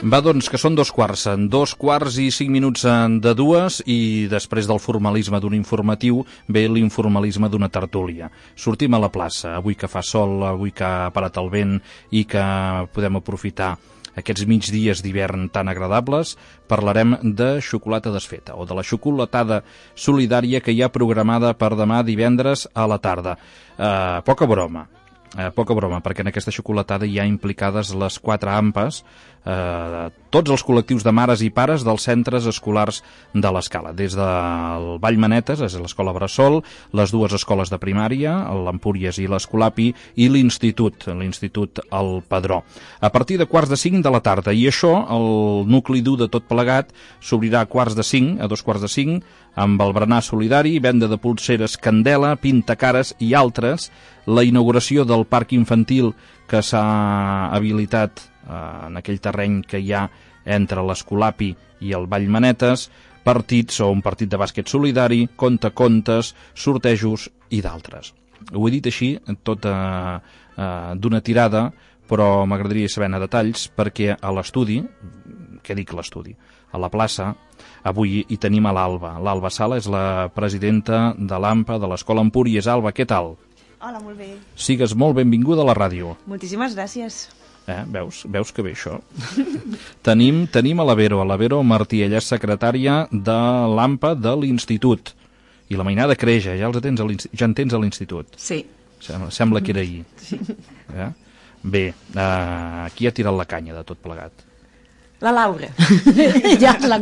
Va, doncs, que són 2:15 i després del formalisme d'un informatiu ve l'informalisme d'una tertúlia. Sortim a la plaça, avui que fa sol, avui que ha parat el vent i que podem aprofitar aquests migdies d'hivern tan agradables, parlarem de xocolata desfeta o de la xocolatada solidària que hi ha programada per demà divendres a la tarda. Poca broma, perquè en aquesta xocolatada hi ha implicades les 4 AMPAs, tots els col·lectius de mares i pares dels centres escolars de l'Escala, des del Vallmanetes, és l'Escola Bressol, les 2 escoles de primària, l'Empúries i l'Escolapi, i l'Institut El Padró. A partir de 4:45 de la tarda, i això, el nucli dur de tot plegat, s'obrirà a 2:45, amb el berenar solidari, venda de pulseres Candela, pintacares i altres, la inauguració del parc infantil que s'ha habilitat en aquell terreny que hi ha entre l'Escolapi i el Vallmanetes, partits o un partit de bàsquet solidari, contes, sortejos i d'altres. Ho he dit així, tot d'una tirada, però m'agradaria saber detalls, perquè a l'estudi, què dic l'estudi? A la plaça, avui hi tenim a l'Alba. L'Alba Sala és la presidenta de l'AMPA de l'Escola Empúries. Alba, què tal? Hola, molt bé. Sigues molt benvinguda a la ràdio. Moltíssimes gràcies. Veus que bé això? Tenim a la Vero Martí, ella és secretària de l'AMPA de l'Institut. I la mainada creix, ja en tens a l'Institut. Sí. Sembla que era ahir. Sí. Bé, qui ha tirat la canya de tot plegat? La Laura.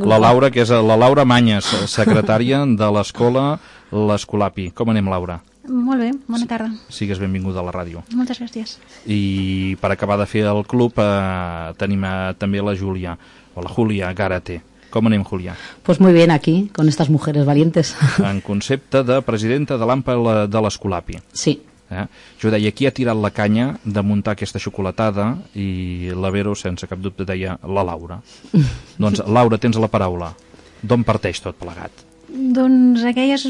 La Laura, que és la Laura Manyes, secretària de l'escola l'Escolapi. Com anem, Laura? Molt bé, bona tarda. Sigues benvinguda a la ràdio. Moltes gràcies. I per acabar de fer el club tenim també la Júlia, o la Júlia Gárate. Com anem, Júlia? Pues muy bien aquí, con estas mujeres valientes. En concepte de presidenta de l'AMPA de l'Escolapi. Sí. Jo deia, qui ha tirat la canya de muntar aquesta xocolatada, i la Vero, sense cap dubte, deia la Laura. Doncs, Laura, tens la paraula. D'on parteix tot plegat? Doncs aquelles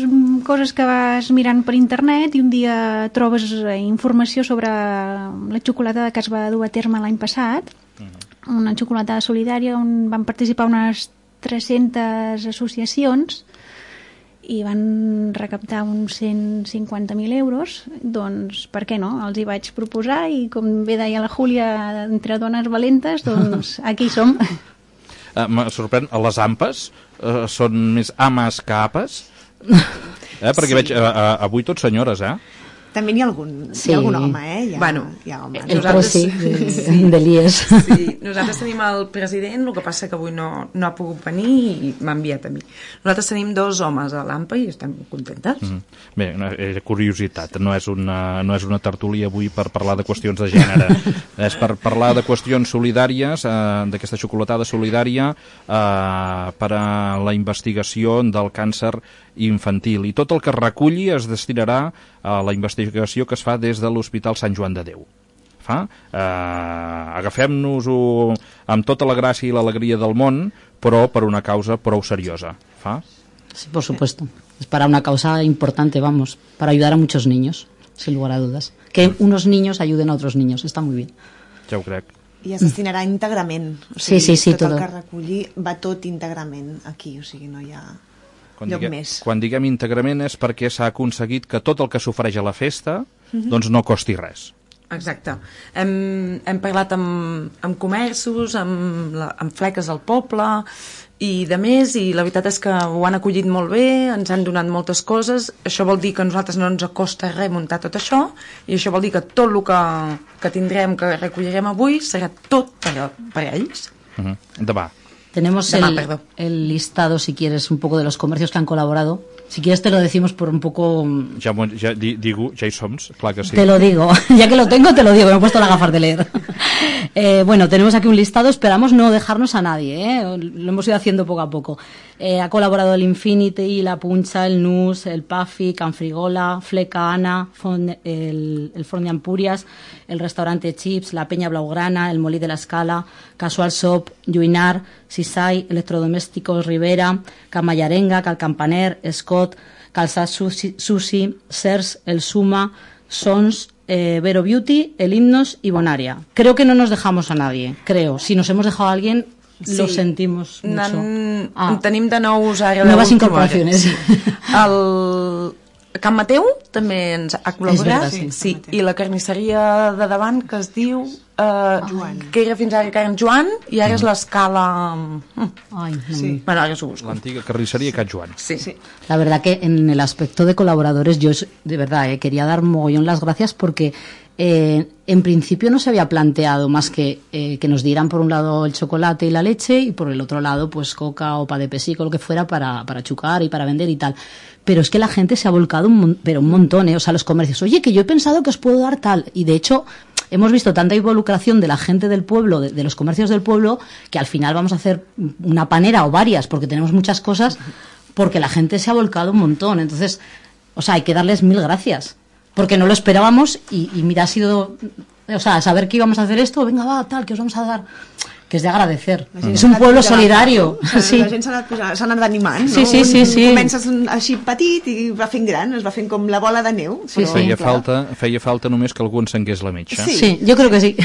coses que vas mirant per internet i un dia trobes informació sobre la xocolatada que es va dur a terme l'any passat, una xocolatada solidària on van participar unes 300 associacions i van recaptar uns 150.000 euros, doncs per què no? Els hi vaig proposar i, com bé deia la Júlia, entre dones valentes, doncs aquí som. Me sorprèn, les AMPAs són més ames que apes? Perquè veig avui tots senyores, També n'hi ha algun home, Hi ha homes. De l'IES. Sí, nosaltres tenim el president, el que passa que avui no ha pogut venir i m'ha enviat a mi. Nosaltres tenim 2 homes a l'AMPA i estem contentes. Bé, curiositat, no és una tertúlia avui per parlar de qüestions de gènere, és per parlar de qüestions solidàries, d'aquesta xocolatada solidària per a la investigació del càncer infantil, i tot el que reculli es destinarà a la investigació que es fa des de l'Hospital Sant Joan de Déu. Agafem-nos-ho amb tota la gràcia i l'alegria del món, però per una causa prou seriosa. Sí, por supuesto. Es para una causa importante, para ayudar a muchos niños, sin lugar a dudas. Que unos niños ayuden a otros niños, está muy bien. Ja ho crec. I es destinarà íntegrament. Sí, tot el que reculli va tot íntegrament aquí, o sigui, no hi ha lloc més. Quan diguem íntegrament és perquè s'ha aconseguit que tot el que s'ofereix a la festa doncs no costi res. Exacte. Hem parlat amb comerços, amb fleques al poble i de més, i la veritat és que ho han acollit molt bé, ens han donat moltes coses. Això vol dir que a nosaltres no ens costa res muntar tot això, i això vol dir que tot el que tindrem, que recollirem avui, serà tot per a ells. Demà. Tenemos el listado, si quieres, un poco de los comercios que han colaborado. Si quieres te lo decimos por un poco... Ja hi som, clar que sí. Te lo digo, ya que lo tengo te lo digo, me he puesto las gafas de leer. Bueno, tenemos aquí un listado, esperamos no dejarnos a nadie, lo hemos ido haciendo poco a poco. Ha colaborado el Infinity, la Puncha, el Nus, el Puffy, Canfrigola, Fleca Ana, el Forn de Empúries, el restaurante Chips, la Peña Blaugrana, el Molí de la Escala, Casual Shop, Lluinar, Sisai, Electrodomésticos Rivera, Camallarenga, Calcampaner, Scott, Calzat Sushi, Sers, El Suma, Sons, Vero Beauty, El Himnos y Bonaria. Creo que no nos dejamos a nadie, creo. Si nos hemos dejado a alguien, lo sentimos mucho. En tenim de nous ara. Nuevas incorporaciones. El Can Mateu també ens ha col·laborat. Sí. I la carnisseria de davant, que es diu Joan, que era fins ara Can Joan, i ara és l'escala... Sí. Bueno, ara us ho busco. L'antiga carnisseria Can Joan. Sí. La verdad que en el aspecto de colaboradores yo de verdad quería dar mogollón las gracias porque en principio no se había planteado más que nos dieran por un lado el chocolate y la leche y por el otro lado pues coca o pa de pesico, lo que fuera para chucar y para vender y tal. Pero es que la gente se ha volcado un montón, o sea, los comercios. Oye, que yo he pensado que os puedo dar tal. Y de hecho hemos visto tanta involucración de la gente del pueblo, de los comercios del pueblo, que al final vamos a hacer una panera o varias porque tenemos muchas cosas, porque la gente se ha volcado un montón. Entonces, o sea, hay que darles 1000 gracias. Porque no lo esperábamos y mira, ha sido, o sea, saber que íbamos a hacer esto, venga, va, tal, que os vamos a dar, que es de agradecer. És un pueblo solidario. Sí. La gent s'ha anat animant, no? Sí. Comences així petit i va fent gran, es va fent com la bola de neu. Feia falta només que algú encengués la metxa. Sí, jo crec que sí.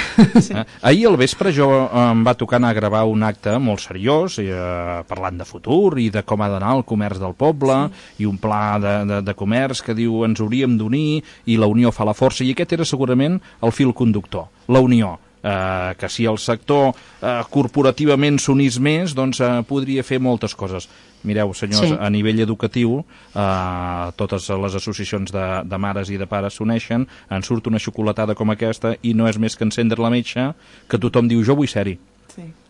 Ahir al vespre jo em va tocar anar a gravar un acte molt seriós, parlant de futur i de com ha d'anar el comerç del poble, i un pla de comerç que diu ens hauríem d'unir i la unió fa la força, i aquest era segurament el fil conductor, la unió. Que si el sector corporativament s'unís més, doncs podria fer moltes coses. Mireu, senyors, a nivell educatiu, totes les associacions de mares i de pares s'uneixen, en surt una xocolatada com aquesta i no és més que encendre la metxa, que tothom diu jo vull ser-hi.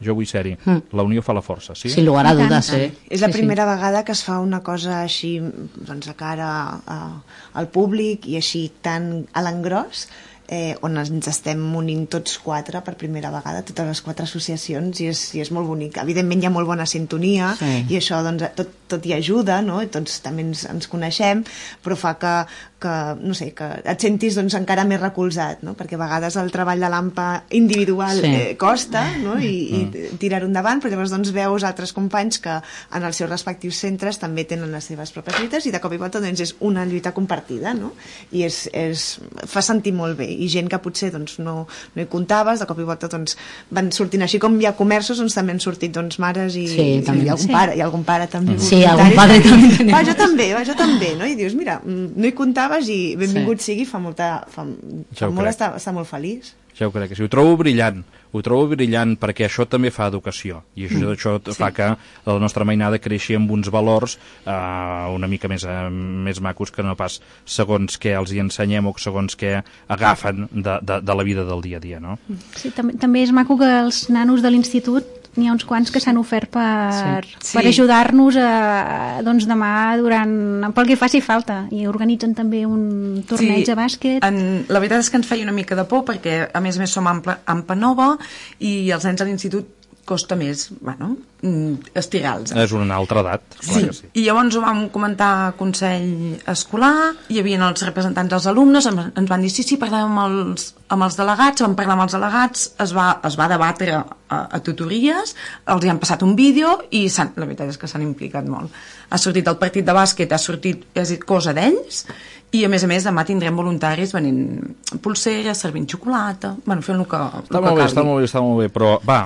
Jo vull ser-hi. La unió fa la força, sí? Sin lugar a dudas, És la primera vegada que es fa una cosa així, doncs, a cara al públic i així tan a l'engròs, on ens estem unint tots 4 per primera vegada, totes les 4 associacions, i és molt bonic. Evidentment hi ha molt bona sintonia i això doncs, tot hi ajuda, no? I tots també ens coneixem, però fa que no sé, que et sentis doncs, encara més recolzat, no? Perquè a vegades el treball de l'AMPA individual costa, no? I tirar-ho endavant, però llavors doncs, veus altres companys que en els seus respectius centres també tenen les seves pròpies lluites i de cop i volta doncs, és una lluita compartida, no? I fa sentir molt bé, i gent que potser doncs, no hi comptaves, de cop i volta doncs, van sortint, així com hi ha comerços, doncs també han sortit doncs, mares i algun pare també. Sí, algun padre també. Jo també, no? I dius, mira, no hi comptaves i benvingut sigui, fa molt està molt feliç. Ja ho crec que sí. Ho trobo brillant perquè això també fa educació i això fa que la nostra mainada creixi amb uns valors una mica més macos que no pas segons què els hi ensenyem o segons què agafen de la vida del dia a dia, no? Sí, també és maco que els nanos de l'institut n'hi ha uns quants que s'han ofert per ajudar-nos doncs demà pel que faci falta, i organitzen també un torneig de bàsquet. La veritat és que ens feia una mica de por perquè a més som AMPA nova i els nens a l'institut costa més, estirals. És una altra edat. Sí, i llavors ho vam comentar a Consell Escolar, hi havia els representants dels alumnes, ens van dir sí, parlem amb els delegats, vam parlar amb els delegats, es va debatre a tutories, els hi han passat un vídeo i la veritat és que s'han implicat molt. Ha sortit el partit de bàsquet, ha sortit cosa d'ells, i a més demà tindrem voluntaris venint pulseres, servint xocolata, fent el que calgui. Està molt bé, però va,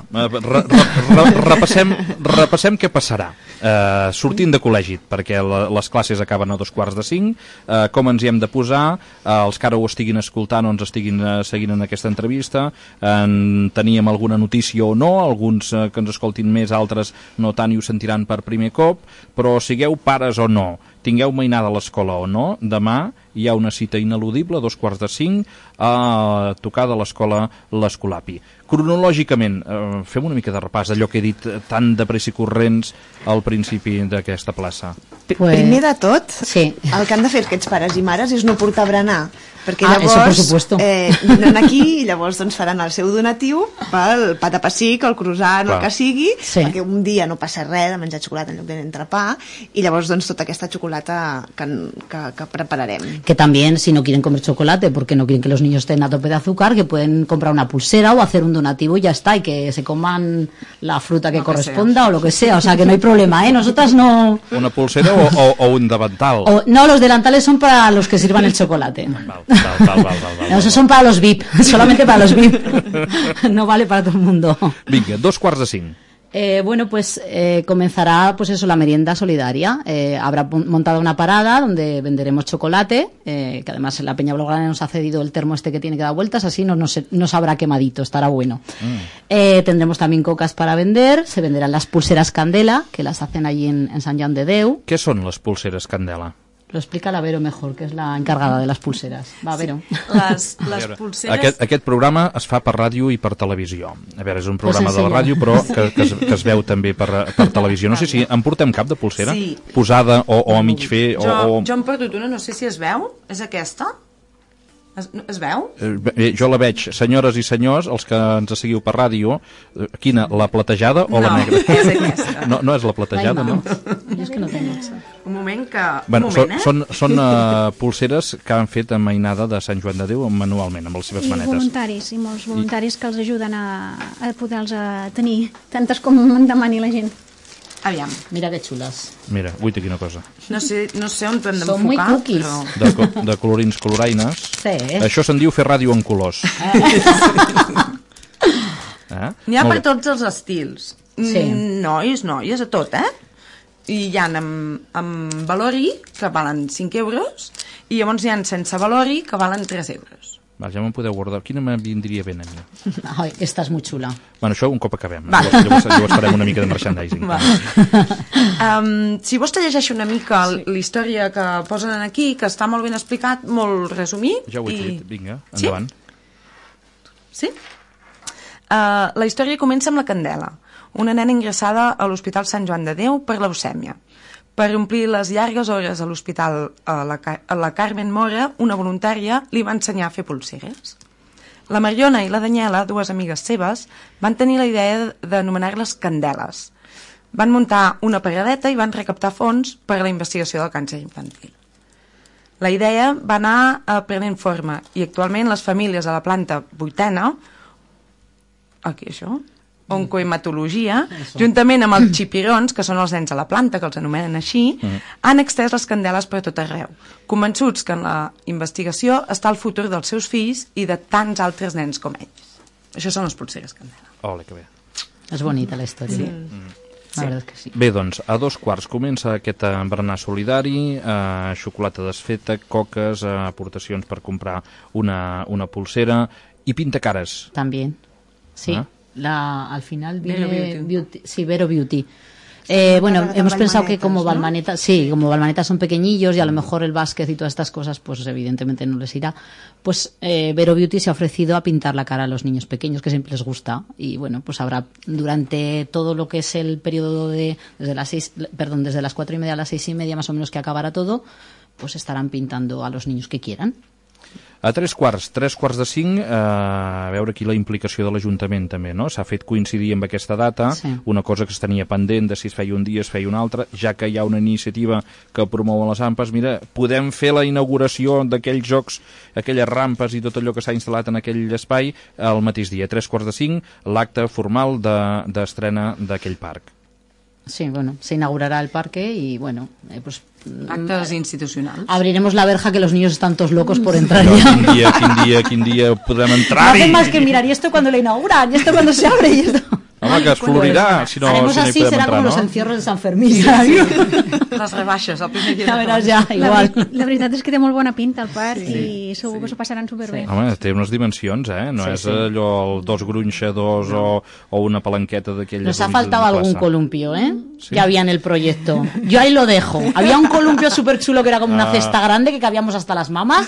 repassem què passarà sortint de col·legi, perquè les classes acaben a 4:45, com ens hi hem de posar, els que ara ho estiguin escoltant o ens estiguin seguint en aquesta entrevista, teníem alguna notícia o no, alguns que ens escoltin més, altres no tant i ho sentiran per primer cop, però sigueu pares o no, tingueu mainada a l'escola o no, demà hi ha una cita ineludible a 4:45 a tocar de l'escola l'Escolapi. Cronològicament, fem una mica de repàs d'allò que he dit tan de pressa i corrents al principi d'aquesta plaça. Primer de tot, el que han de fer aquests pares i mares és no portar berenar, perquè llavors vindran aquí i llavors doncs, faran el seu donatiu pel pa de pessic, el croissant, el que sigui, perquè un dia no passa res de menjar xocolata en lloc d'entrepà, i llavors doncs, tota aquesta xocolata que prepararem. Que también, si no quieren comer chocolate porque no quieren que los niños estén a tope de azúcar, que pueden comprar una pulsera o hacer un donativo y ya está, y que se coman la fruta que corresponda o lo que sea, o sea que no hay problema, nosotras no... ¿Una pulsera o un delantal? No, los delantales son para los que sirvan el chocolate. No, esos son para los VIP, solamente para los VIP. No vale para todo el mundo. Vinga, 4:45. Bueno, pues comenzará pues eso, la merienda solidaria. Habrá montado una parada donde venderemos chocolate, que además la Peña Blaugrana nos ha cedido el termo este que tiene que dar vueltas, así no sabrá quemadito, estará bueno. Tendremos también cocas para vender, se venderán las pulseras Candela, que las hacen allí en Sant Joan de Déu. Què són les pulseres Candela? Lo explica la Vero mejor, que es la encargada de las pulseras. Va, Vero. Les pulseres... Aquest programa es fa per ràdio i per televisió. A veure, és un programa de la ràdio, però que es veu també per televisió. No sé si en portem cap de pulsera? Sí. Posada o a mig fer? Jo em perdut una, no sé si es veu. És aquesta? Es veu? Jo la veig, senyores i senyors, els que ens seguiu per ràdio, quina, la platejada o la negra? No, és aquesta. No és la platejada, no? Jo és que no tengo. Un moment que... Bueno, són pulseres que han fet a Mainada de Sant Joan de Déu manualment, amb les seves manetes. I voluntaris, i molts voluntaris que els ajuden a poder-los tenir, tantes com en demani la gent. Aviam. Mira que xules. Mira, guaita, quina cosa. No sé on hem Són muy d'enfocar, cookies. però... De colorins coloraines. Sí. Això se'n diu fer ràdio en colors. N'hi ha per tots els estils. Sí. Noies, a tot, I hi ha amb valori, que valen 5 euros, i llavors hi ha sense valori, que valen 3 euros. Va, ja me'n podeu guardar. Quina me vindria bé a mi? Ai, esta és molt xula. Bueno, això un cop acabem. Vale. Llavors farem una mica de merchandising. Si vols te llegeixo una mica la història que posen aquí, que està molt ben explicat, molt resumit. Ja ho he fet, vinga, endavant. Sí? La història comença amb la Candela, una nena ingressada a l'Hospital Sant Joan de Déu per leucèmia. Per omplir les llargues hores a l'hospital, a la Carmen Mora, una voluntària, li va ensenyar a fer pulseres. La Mariona i la Daniela, dues amigues seves, van tenir la idea d'anomenar-les Candeles. Van muntar una paradeta i van recaptar fons per a la investigació del càncer infantil. La idea va anar prenent forma i actualment les famílies a la planta 8a, aquí això, oncohematologia, juntament amb els xipirons, que són els nens a la planta, que els anomenen així, han extès les candeles per tot arreu, convençuts que en la investigació està el futur dels seus fills i de tants altres nens com ells. Això són les pulseres Candela. Ole, que bé. És bonita la història. Sí. La veritat és que sí. Bé, doncs, a 2:15 comença aquest berenar solidari, xocolata desfeta, coques, aportacions per comprar una pulsera i pintacares. También, sí. Al final viene Vero Beauty. Sí, Vero Beauty. Bueno, hemos pensado que como Balmaneta, sí, como Balmaneta son pequeñillos y a lo mejor el básquet y todas estas cosas, pues evidentemente no les irá. Pues Vero Beauty se ha ofrecido a pintar la cara a los niños pequeños, que siempre les gusta. Y bueno, pues habrá durante todo lo que es el periodo desde las 4:30 a las 6:30 más o menos que acabará todo, pues estarán pintando a los niños que quieran. A 3:45, a veure aquí la implicació de l'Ajuntament també, no? S'ha fet coincidir amb aquesta data, sí. Una cosa que es tenia pendent de si es feia un dia, es feia un altre, ja que hi ha una iniciativa que promou les AMPAs, mira, podem fer la inauguració d'aquells jocs, aquelles rampes i tot allò que s'ha instal·lat en aquell espai el mateix dia, 3:45, l'acte formal d'estrena d'aquell parc. Sí, bueno, se inaugurará el parque y bueno, pues... Actes institucionals. Abriremos la verja que los niños están todos locos por entrar ya. Quin dia podrem entrar-hi? No hacen más que mirar, y esto cuando lo inauguran, y esto cuando se abre, y esto... Home, que es florirà si no hi Haremos así, podem será entrar, como no? los encierros de San Fermín. Les rebaixes, el primer dia. Ja veràs ja, igual. La veritat és que té molt bona pinta el parc i segur que s'ho passaran superbé. Sí. Home, té unes dimensions, No és allò el 2 grunxadors o una palanqueta d'aquelles... Nos ha faltado algún columpio, Sí. Que había en el proyecto. Yo ahí lo dejo. Había un columpio súper chulo que era como una cesta grande que cabíamos hasta las mamas,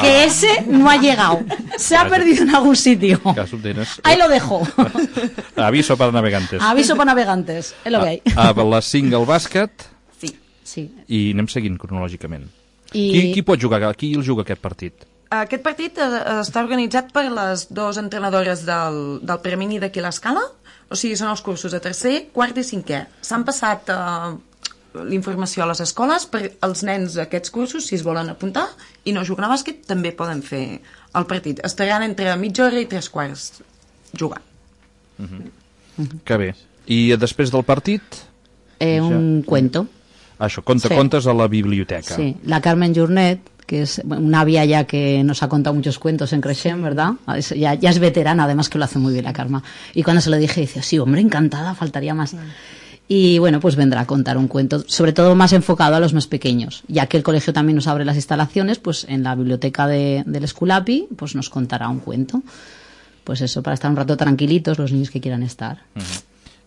que ese no ha llegado. Se ha perdido en algún sitio. Ahí lo dejo. Aviso para navegantes. Aviso para navegantes, és lo que hay. A les 5 al bàsquet Sí. i anem seguint cronològicament. Qui pot jugar? Qui el juga aquest partit? Aquest partit està organitzat per les dues entrenadores del Premini d'aquí a l'Escala, o sigui, són els cursos de tercer, quart i cinquè. S'han passat l'informació a les escoles per als nens d'aquests cursos, si es volen apuntar, i no juguen a bàsquet, també poden fer el partit. Estaran entre mitja hora i 3/4 jugant. Que bé. I després del partit? Un cuento. Això, contes a la biblioteca. Sí, la Carmen Jornet, que es una àvia ya que nos ha contado muchos cuentos en Creixent, ¿verdad? Ya es veterana, además que lo hace muy bien la Carme. Y cuando se lo dije, dice, sí, hombre, encantada, faltaría más. Y bueno, pues vendrá a contar un cuento, sobre todo más enfocado a los más pequeños, ya que el colegio también nos abre las instalaciones, pues en la biblioteca del Esculapi, pues nos contará un cuento. Pues eso, para estar un rato tranquilitos los niños que quieran estar.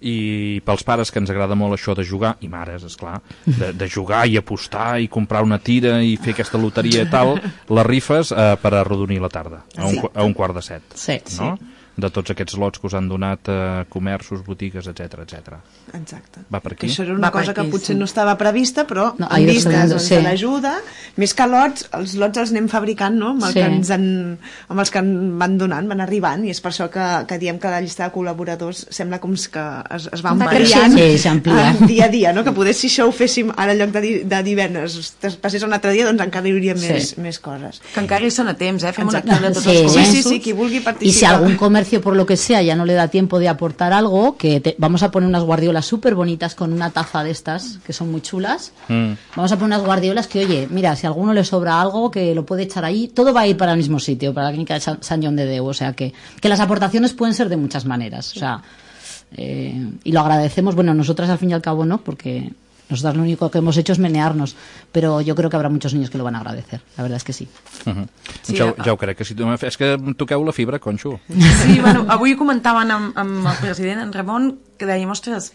I pels pares que ens agrada molt això de jugar, i mares, esclar, de jugar i apostar i comprar una tira i fer aquesta loteria i tal, les rifes per arrodonir la tarda, a un quart de 7. Sí, no? De tots aquests lots que us han donat comerços, botigues, etc etc. Exacte. Va per aquí? Que això era una cosa que potser no estava prevista, però No, en vistes sí. de l'ajuda, més que lots, els lots els anem fabricant, no? Amb, Sí. amb els que van donant, van arribant, i és per això que diem que la llista de col·laboradors sembla com que es va Va ampliant creixent. Sí, s'amplia. dia a dia, no? Que poder si això ho féssim ara en lloc de divendres, passés un altre dia, doncs encara hi hauria més coses. Que encara hi són a temps, fem una Exacte. activitat de tots Sí. els comerços. Sí, qui vulgui participar. Y si algún comercio, por lo que sea, ya no le da tiempo de aportar algo, vamos a poner unas guardiolas súper bonitas con una taza de estas, que son muy chulas. Vamos a poner unas guardiolas que, oye, mira, si a alguno le sobra algo, que lo puede echar ahí. Todo va a ir para el mismo sitio, para la clínica de San John de Déu. O sea, que las aportaciones pueden ser de muchas maneras. O sea, y lo agradecemos. Bueno, nosotras al fin y al cabo no, porque nosotras lo único que hemos hecho es menearnos, pero yo creo que habrá muchos niños que lo van a agradecer, la verdad es que sí. Sí, ja ho crec que sí. És que em toqueu la fibra, Conxo. Sí, bueno, avui comentaven amb el president, en Ramon, que dèiem, ostres,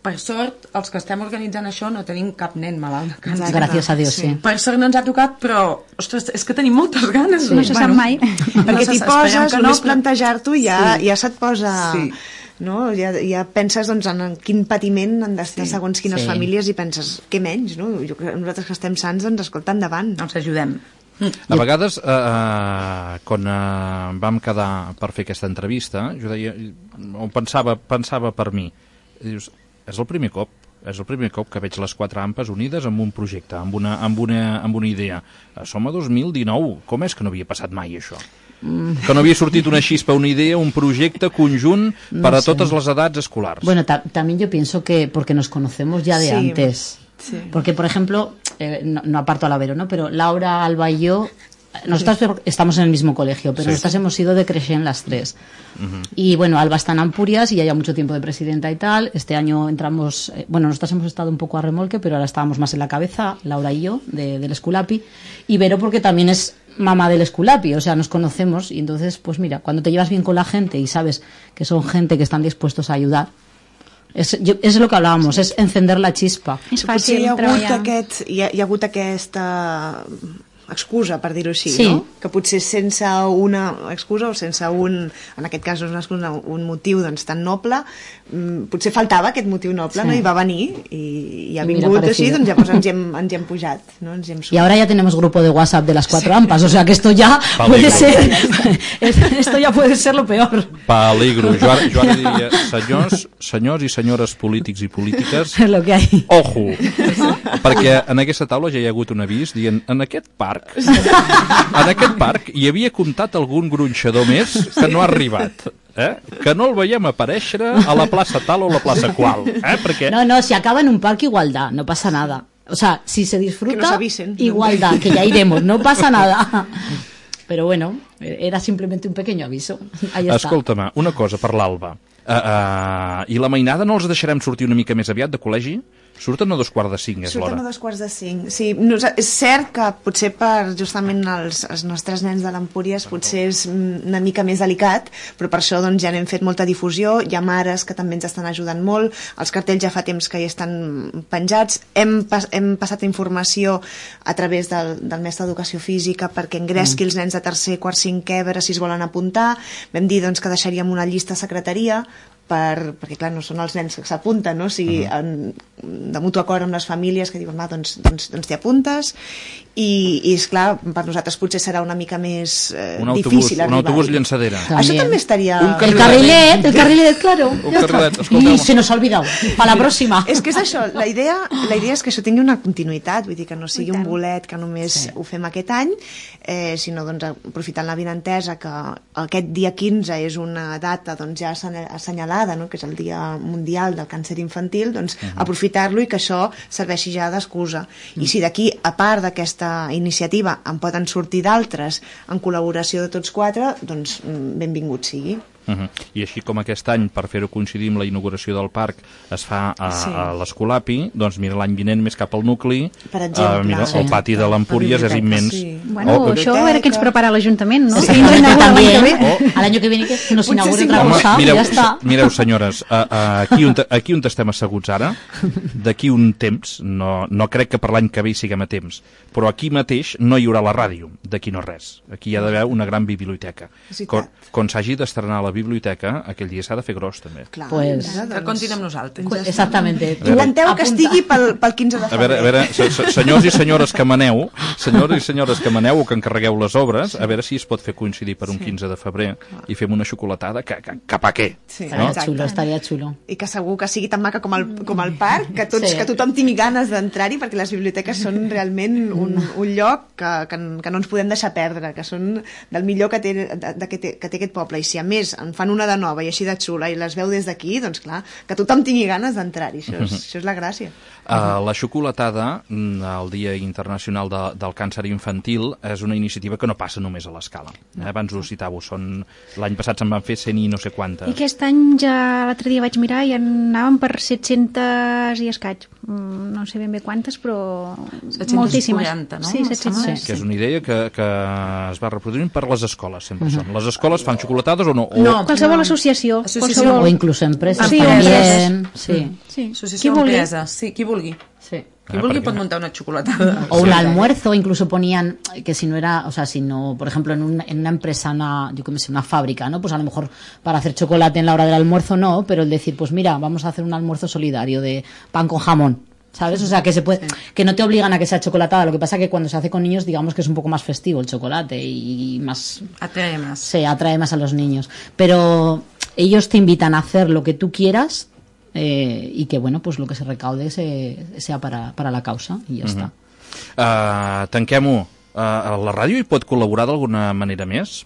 per sort, els que estem organitzant això no tenim cap nen malalt de càncer. Gràcies a Dios, sí. Per sort no ens ha tocat, però, ostres, és que tenim moltes ganes. No se sap mai. Perquè t'hi poses, només plantejar-t'ho ja se't posa... Sí. No? Ja penses doncs, en quin patiment han d'estar segons quines Sí. famílies i penses, què menys, no? Nosaltres que estem sants, doncs escolta, endavant. Ens ajudem. A vegades, quan vam quedar per fer aquesta entrevista, jo deia, o pensava per mi, dius, és el primer cop que veig les 4 AMPAs unides amb un projecte, amb una idea. Som a 2019, com és que no havia passat mai això? Que no havia sortit una xispa, una idea, un projecte conjunt per a totes les edats escolars. Bueno, también yo pienso que porque nos conocemos ya de Sí. antes. Sí. Porque, por ejemplo, no aparto a Lavero, ¿no? Pero Laura, Alba y yo, nosotras estamos en el mismo colegio, pero nosotras hemos ido de Creixent las 3. Y bueno, Alba está en Ampurias y ya lleva mucho tiempo de presidenta y tal. Este año entramos, bueno, nosotras hemos estado un poco a remolque, pero ahora estábamos más en la cabeza, Laura y yo, del Esculapi. Y Vero porque también es mamá del Esculapi, o sea, nos conocemos y entonces, pues mira, cuando te llevas bien con la gente y sabes que son gente que están dispuestos a ayudar, és lo que hablábamos, és encender la chispa. És Potser fàcil treballar. hi ha hagut aquesta excusa, per dir-ho així, Sí. no? Que potser sense una excusa o sense en aquest cas no és una excusa, un motiu doncs, tan noble, potser faltava aquest motiu noble, Sí. no? I va venir i ha I mira, vingut així, parecido. doncs llavors ens hi hem pujat, no? Ens hi hem Y ahora ya tenemos grupo de WhatsApp de las 4 AMPAs, o sea que esto ya Peligro. puede ser, esto ya puede ser lo peor. Peligro. Jo ara diria, senyors i senyores polítics i polítiques, Es lo que hay. ojo, perquè en aquesta taula ja hi ha hagut un avís dient, en aquest parc hi havia comptat algun gronxador més que no ha arribat, que no el veiem aparèixer a la plaça tal o la plaça qual, perquè No, si acaba en un parque, igualdad, no pasa nada. O sea, si se Que disfruta, nos avisen. igualdad, que ya iremos, no pasa nada. Pero bueno, era simplemente un pequeño aviso. Ahí está. escolta'm, una cosa per l'Alba, i la mainada no els deixarem sortir una mica més aviat de col·legi? Surten a 4:45, és Surten a l'hora. 4:45. Sí, és cert que potser per justament els nostres nens de l'Empúries potser és una mica més delicat, però per això doncs, ja n'hem fet molta difusió, hi ha mares que també ens estan ajudant molt, els cartells ja fa temps que hi estan penjats, hem passat informació a través del mestre d'Educació Física perquè engresqui els nens de tercer, quart, cinquè, a veure si es volen apuntar, vam dir doncs, que deixaríem una llista a secretaria perquè clar, no són els nens que s'apunten, no? O sigui, de mutu acord amb les famílies que diuen, va, doncs t'hi apuntes i esclar, per nosaltres potser serà una mica més difícil un arribar. autobús llançadera. Això també estaria... El carrilet, claro. Un ya está. carrilet, escolta'm. Y se nos ha olvidado. Para la próxima. És que és això, la idea és que això tingui una continuïtat, vull dir que no sigui un bolet que només ho fem aquest any, sinó doncs, aprofitant la vinentesa que aquest dia 15 és una data doncs, ja assenyalada senyalada, no? Que és el Dia Mundial del Càncer Infantil, doncs aprofitar-lo i que això serveixi ja d'excusa. I si d'aquí, a part d'aquesta iniciativa, en poden sortir d'altres en col·laboració de tots quatre, doncs benvingut sigui. I així com aquest any, per fer-ho coincidir amb la inauguració del parc, es fa a l'Escolapi, doncs mira, l'any vinent més cap al nucli, per exemple, mira, el pati de l'Empúries és immens. Bueno, això a veure què ens prepara l'Ajuntament, no? Al año que viene que nos inaugure otra cosa, mireu, ja està. Mireu, senyores, aquí on estem asseguts ara, d'aquí un temps, no crec que per l'any que ve hi siguem a temps, però aquí mateix no hi haurà la ràdio, d'aquí no res. Aquí hi ha d'haver una gran biblioteca. Quan s'hagi d'estrenar la biblioteca, aquell dia s'ha de fer gros, també. Clar, pues, que comptin amb nosaltres. Exactamente. Aguanteu que estigui pel 15 de febrer. A veure, senyors i senyores que maneu, o que encarregueu les obres, a veure si es pot fer coincidir per un 15 de febrer i fem una xocolatada que cap a què? Sí, no? Estaria xulo. I que segur que sigui tan maca com el parc, que tothom tingui ganes d'entrar-hi, perquè les biblioteques són realment un lloc que no ens podem deixar perdre, que són del millor que té aquest poble. I si a més en fan una de nova i així de xula i les veu des d'aquí, doncs clar, que tothom tingui ganes d'entrar-hi, això és la gràcia. La xocolatada, el Dia Internacional del Càncer Infantil, és una iniciativa que no passa només a l'Escala. Abans ho citàveu, l'any passat se'n van fer 100 i no sé quantes. I aquest any ja l'altre dia vaig mirar i anàvem per 700 i escaig. No sé ben bé quantes, però 740, moltíssimes. no? Sí, 700. Que és una idea que es va reproduint per les escoles, sempre són. Les escoles fan xocolatades o no? No, qualsevol associació. O incluso empresas Sí, también. Sí. Associació d'empresa, sí, qui vulgui. Sí. Qui vulgui pot muntar una xocolatada. O un almuerzo, incluso ponían que si no era, o sea, si no, por ejemplo, en una empresa, una fábrica, ¿no? Pues a lo mejor para hacer chocolate en la hora del almuerzo no, pero el decir, pues mira, vamos a hacer un almuerzo solidario de pan con jamón, ¿sabes? O sea, que se puede, que no te obligan a que sea chocolatada. Lo que pasa que cuando se hace con niños, digamos que es un poco más festivo el chocolate y más... Atrae más. Sí, atrae más a los niños. Pero ellos te invitan a hacer lo que tú quieras y que, bueno, pues lo que se recaude sea para la causa i ja està. Tanquem-ho. La ràdio hi pot col·laborar d'alguna manera més?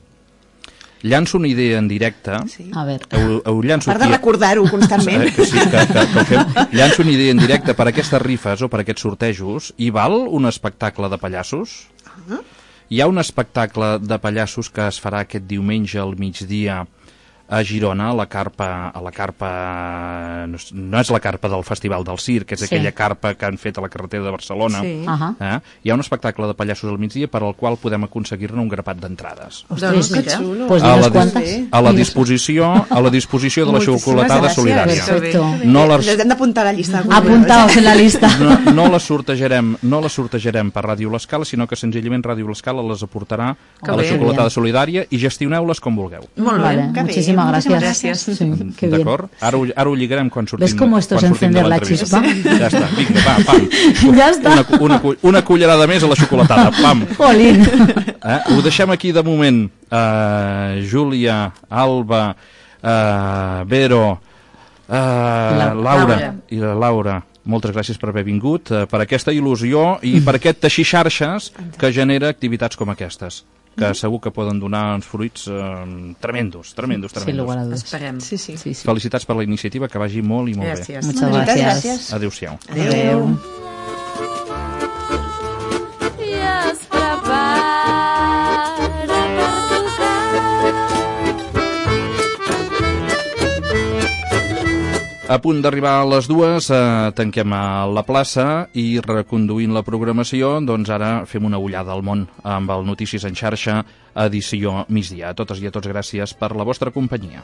Llanço una idea en directe. Sí. A veure. A part de recordar-ho constantment. Que ho fem. Llanço una idea en directe per aquestes rifes o per aquests sortejos. Hi val un espectacle de pallassos? Hi ha un espectacle de pallassos que es farà aquest diumenge al migdia a Girona, a la carpa no és la carpa del Festival del Circ, és aquella carpa que han fet a la carretera de Barcelona. Hi ha un espectacle de pallassos al migdia per al qual podem aconseguir-ne un grapat d'entrades. Doncs que xulo. Pues a la disposició de la xocolatada solidària. Perfecto. Les hem d'apuntar a la llista. Apuntaos en la lista. No les sortejarem per Ràdio L'Escala, sinó que senzillament Ràdio L'Escala les aportarà a la xocolatada solidària i gestioneu-les com vulgueu. Molt bé. Muchísimas gracias. Sí, qué bien. D'acord? Ara ho lligarem quan sortim. ¿Ves cómo esto es encender la chispa? Ja està, vinga, va, pam. Ja està. Una cullerada més a la xocolatada, pam. Jolín. Ho deixem aquí de moment. Júlia, Alba, Vero, Laura i la Laura. Moltes gràcies per haver vingut, per aquesta il·lusió i per aquest teixir xarxes que genera activitats com aquestes, que segur que poden donar uns fruits tremendos. Sin lugar a dudas. Esperem. Sí. Felicitats per la iniciativa, que vagi molt i molt Gràcies. bé. Muchas gracias. Adéu-siau. Adéu. A punt d'arribar a les 2, tanquem a la plaça i reconduint la programació, doncs ara fem una ullada al món amb el Notícies en xarxa, edició migdia. A totes i a tots gràcies per la vostra companyia.